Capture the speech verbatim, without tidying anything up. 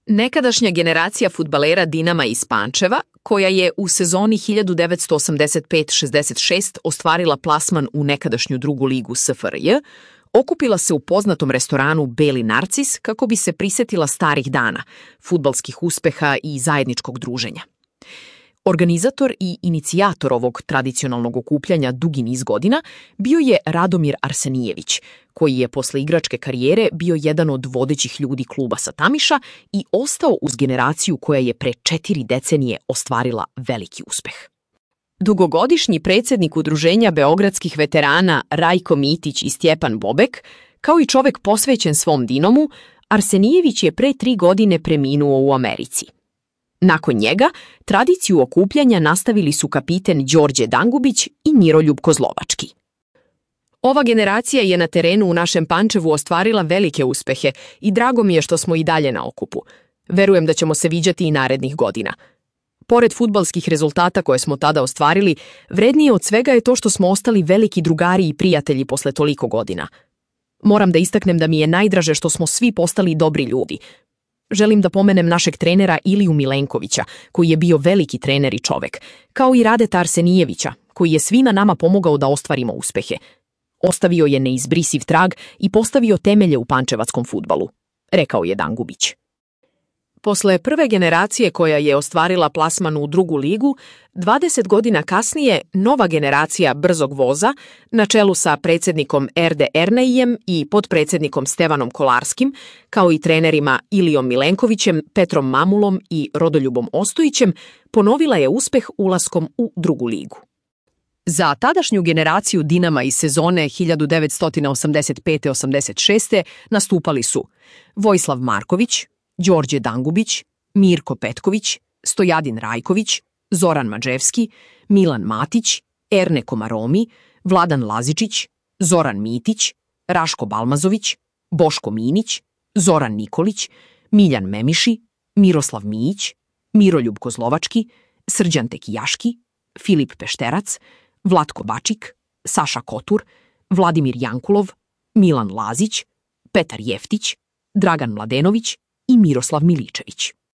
Nekadašnja generacija fudbalera Dinama iz Pančeva, koja je u sezoni hiljadu devetsto osamdeset pet šezdeset šest ostvarila plasman u nekadašnju drugu ligu S F R J, okupila se u poznatom restoranu Beli Narcis kako bi se prisetila starih dana, fudbalskih uspeha i zajedničkog druženja. Organizator i inicijator ovog tradicionalnog okupljanja dugi niz godina bio je Radomir Arsenijević, koji je posle igračke karijere bio jedan od vodećih ljudi kluba sa Tamiša i ostao uz generaciju koja je pre četiri decenije ostvarila veliki uspeh. Dugogodišnji predsjednik Udruženja beogradskih veterana Rajko Mitić i Stjepan Bobek, kao i čovek posvećen svom Dinomu, Arsenijević je pre tri godine preminuo u Americi. Nakon njega, tradiciju okupljanja nastavili su kapiten Đorđe Dangubić i Miroljub Kozlovački. Ova generacija je na terenu u našem Pančevu ostvarila velike uspehe i drago mi je što smo i dalje na okupu. Verujem da ćemo se viđati i narednih godina. Pored fudbalskih rezultata koje smo tada ostvarili, vrednije od svega je to što smo ostali veliki drugari i prijatelji posle toliko godina. Moram da istaknem da mi je najdraže što smo svi postali dobri ljudi. Želim da pomenem našeg trenera Iliju Milenkovića, koji je bio veliki trener i čovek, kao i Radeta Arsenijevića, koji je svima nama pomogao da ostvarimo uspehe. Ostavio je neizbrisiv trag i postavio temelje u pančevačkom fudbalu, rekao je Dangubić. Posle prve generacije koja je ostvarila plasman u drugu ligu, dvadeset godina kasnije nova generacija brzog voza, na čelu sa predsjednikom Erde Erneijem i potpredsjednikom Stevanom Kolarskim, kao i trenerima Ilijom Milenkovićem, Petrom Mamulom i Rodoljubom Ostojićem, ponovila je uspeh ulaskom u drugu ligu. Za tadašnju generaciju Dinama iz sezone hiljadu devetsto osamdeset pet osamdeset šest nastupali su Vojislav Marković, Đorđe Dangubić, Mirko Petković, Stojadin Rajković, Zoran Mađevski, Milan Matić, Erne Komaromi, Vladan Lazičić, Zoran Mitić, Raško Balmazović, Boško Minić, Zoran Nikolić, Miljan Memiši, Miroslav Mijić, Miroljub Kozlovački, Srđan Tekijaški, Filip Pešterac, Vlatko Bačik, Saša Kotur, Vladimir Jankulov, Milan Lazić, Petar Jeftić, Dragan Mladenović i Miroslav Miličević.